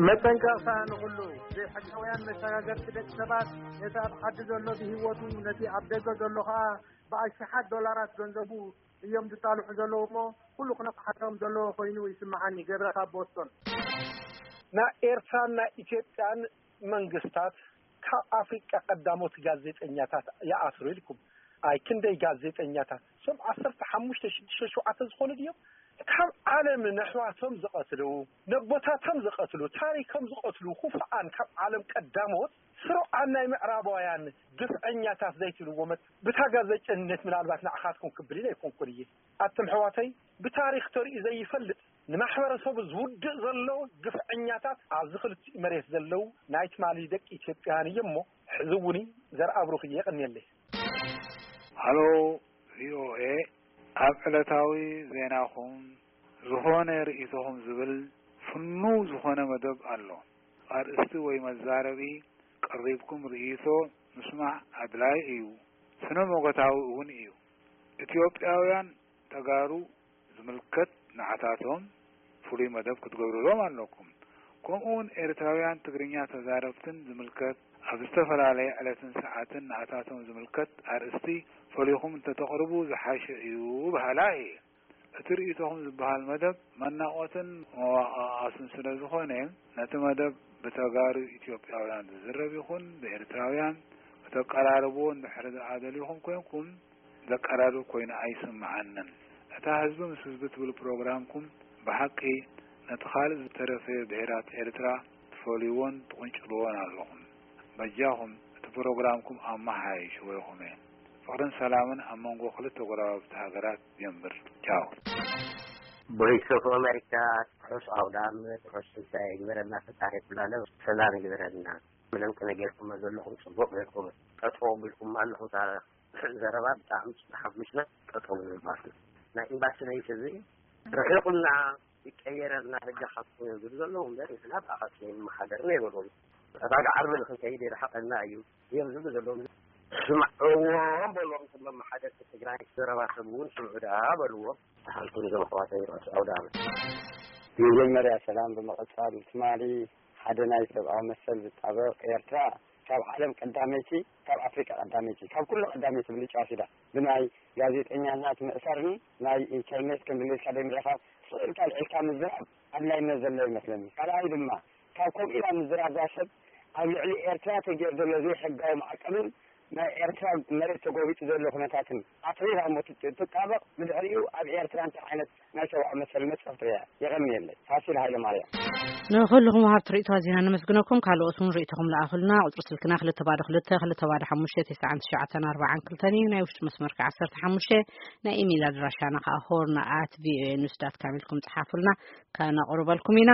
መጠንቀቕታ ንኹሉ ዘይሕጋውያን መሰጋገርቲ ደቂ ሰባት፣ ነቲ ኣብ ዓዲ ዘሎ ብህይወቱ፣ ነቲ ኣብ ደገ ዘሎ ኸኣ ብኣሽሓት ዶላራት ገንዘቡ እዮም ዝጣልሑ ዘለዉ እሞ፣ ኩሉ ክነቕሓቶም ዘለዎ ኮይኑ ይስምዓኒ። ገብረ ካብ ቦስቶን። ናይ ኤርትራን ናይ ኢትዮጵያን መንግስታት ካብ ኣፍሪቃ ቀዳሞት ጋዜጠኛታት ይኣስሩ ኢልኩም። ኣይ ክንደይ ጋዜጠኛታት፣ እሶም ዓሰርተ ሓሙሽተ፣ ሽዱሽተ፣ ሸውዓተ ዝኾኑ ድዮም ካብ ዓለም ነሕዋቶም ዝቐትሉ፣ ነቦታቶም ዝቐትሉ፣ ታሪኮም ዝቐትሉ፣ ኩፍኣን ካብ ዓለም ቀዳሞት ስሩዓን ናይ ምዕራባውያን ግፍዐኛታት ዘይትብልዎ መት-፣ ብታ ጋዜጠነት ምናልባት ንዓኻትኩም ክብል ኢለ ኣይኮንኩን እየ። ኣቱም ኣሕዋተይ፣ ብታሪኽ ተርእዩ ዘይፈልጥ ንማሕበረሰቡ ዝውድእ ዘሎ ግፍዐኛታት ኣብዚ ክልቲኡ መሬት ዘለዉ ናይ ትማሊ ደቂ ኢትዮጵያን እዮም እሞ፣ ሕዚ እውን ዘርኣብሩኽ እየ። የቐንየለይ። ሃሎ ቪ ኦ ኤ፣ ኣብ ዕለታዊ ዜናኹም ዝኾነ ርእይቶኹም ዝብል ፍኑው ዝኾነ መደብ ኣሎ። ኣርእስቲ ወይ መዛረቢ ቀሪብኩም ርእይቶ ምስማዕ ኣድላይ እዩ፣ ስነ ሞገታዊ እውን እዩ። ኢትዮጵያውያን ተጋሩ ዝምልከት ንዓታቶም ፍሉይ መደብ ክትገብሩሎም ኣለኩም። ከምኡ እውን ኤርትራውያን ትግርኛ ተዛረብትን ዝምልከት ኣብ ዝተፈላለየ ዕለትን ሰዓትን ንዓታቶም ዝምልከት ኣርእስቲ ፈሊኹም እንተተቕርቡ ዝሓሸ እዩ በሃላ እየ። እቲ ርእይቶኹም ዝበሃል መደብ መናቆትን መዋቃቃስን ስለ ዝኾነ፣ ነቲ መደብ ብተጋሩ ኢትዮጵያውያን ዝዝረብ ይኹን ብኤርትራውያን ከተቀራርብዎ እንድሕር ደኣ ደሊኹም ኮይንኩም፣ ዘቀራርብ ኮይኑ ኣይስምዓንን። እታ ህዝቢ ምስ ህዝቢ ትብል ፕሮግራምኩም ብሓቂ ነቲ ካልእ ዝተረፈ ብሄራት ኤርትራ ትፈልይዎን ትቕንጭልዎን ኣለኹም። በጃኹም እቲ ፕሮግራምኩም ኣመሓይሽዎ ኢኹም። ፍቕርን ሰላምን ኣብ መንጎ ክልተ ጎረባብቲ ሃገራት የንብር። ቻው። ቮይስ ኦፍ ኣሜሪካ፣ ርሑስ ኣውደ ዓመት፣ ርሑስ ትንሳኤ ይግበረልና ፈጣሪ። ኩላለ ሰላም ይግበረልና። ምንም ከነ ጌርኩም ዘለኹም ጽቡቕ ጌርኩም። ጠጠው ቢልኩም ኣለኹም። እታ ዘረባ ብጣዕሚ ተሓጒስና። ጠጠው ንብል ማለት እዩ። ናይ ኤምባሲ ናይ ህዝቢ ርሒቑና ይቀየረልና በጃኻትኩም እዮም ዝብሉ ዘለዉ እምበር፣ ንሕና ብኣኻትኩም ይመሓደር ነይበሎም። ኣባጋ ዓርቢ ንኽንከይድ የርሓቐና እዩ እዮም ዝብሉ ዘለዉ። ስምዕዎም በሎም፣ እቶም መመሓደርቲ ትግራይ ዘረባ ሰብ እውን ስምዑ ደኣ በልዎም። ተሓልኩም እዞም ኣሕዋተይ ርሑስ ኣውደ ዓመት። መጀመርያ ሰላም፣ ብምቕጻል ትማሊ ሓደ ናይ ሰብኣዊ መሰል ዝጣበቕ፣ ኤርትራ ካብ ዓለም ቀዳመይቲ፣ ካብ ኣፍሪቃ ቀዳመይቲ፣ ካብ ኩሉ ቀዳመይቲ ብልጫ ወሲዳ፣ ብናይ ጋዜጠኛታት ምእሳርን ናይ ኢንተርኔት ከም ድሌትካ ደይ ምዕኻብ ስቕ ኢልካ ኣልዒልካ ምዝራብ ኣድላይነት ዘሎ ይመስለኒ። ካልኣይ ድማ ካብ ከምኡ ኢላ ምዝራብ እዛ ሰብ ኣብ ልዕሊ ኤርትራ ተገይሩ ዘሎ ዘይሕጋዊ ማዕቀብን ናይ ኤርትራ መሬት ተጎቢጡ ዘሎ ኩነታትን ኣትሪራ እሞ ትጥ-፣ ትጣበቕ። ብድሕሪኡ ኣብ ኤርትራ እንታይ ዓይነት ናይ ሰብኣዊ መሰል መጽሓፍ ትርያ? የቐንየለይ። ፋሲል ሃይለ ማርያም። ንኹልኹም ወሃብቲ ርእይቶ ኣዚና ነመስግነኩም። ካልኦት እውን ርእይቶኹም ለኣኹልና። ቁጽሪ ስልክና ክልተ ባዶ ክልተ፣ ክልተ ባዶ ሓሙሽተ፣ ትስዓን ትሽዓተን ኣርባዓን ክልተን እዩ። ናይ ውሽጢ መስመር ከኣ ዓሰርተ ሓሙሽተ፣ ናይ ኢሜይል ኣድራሻና ከኣ ሆርን ኣት ቪ ኦ ኤ ኒውስ ዳት ካም ኢልኩም ጽሓፉልና፣ ከነቕርበልኩም ኢና።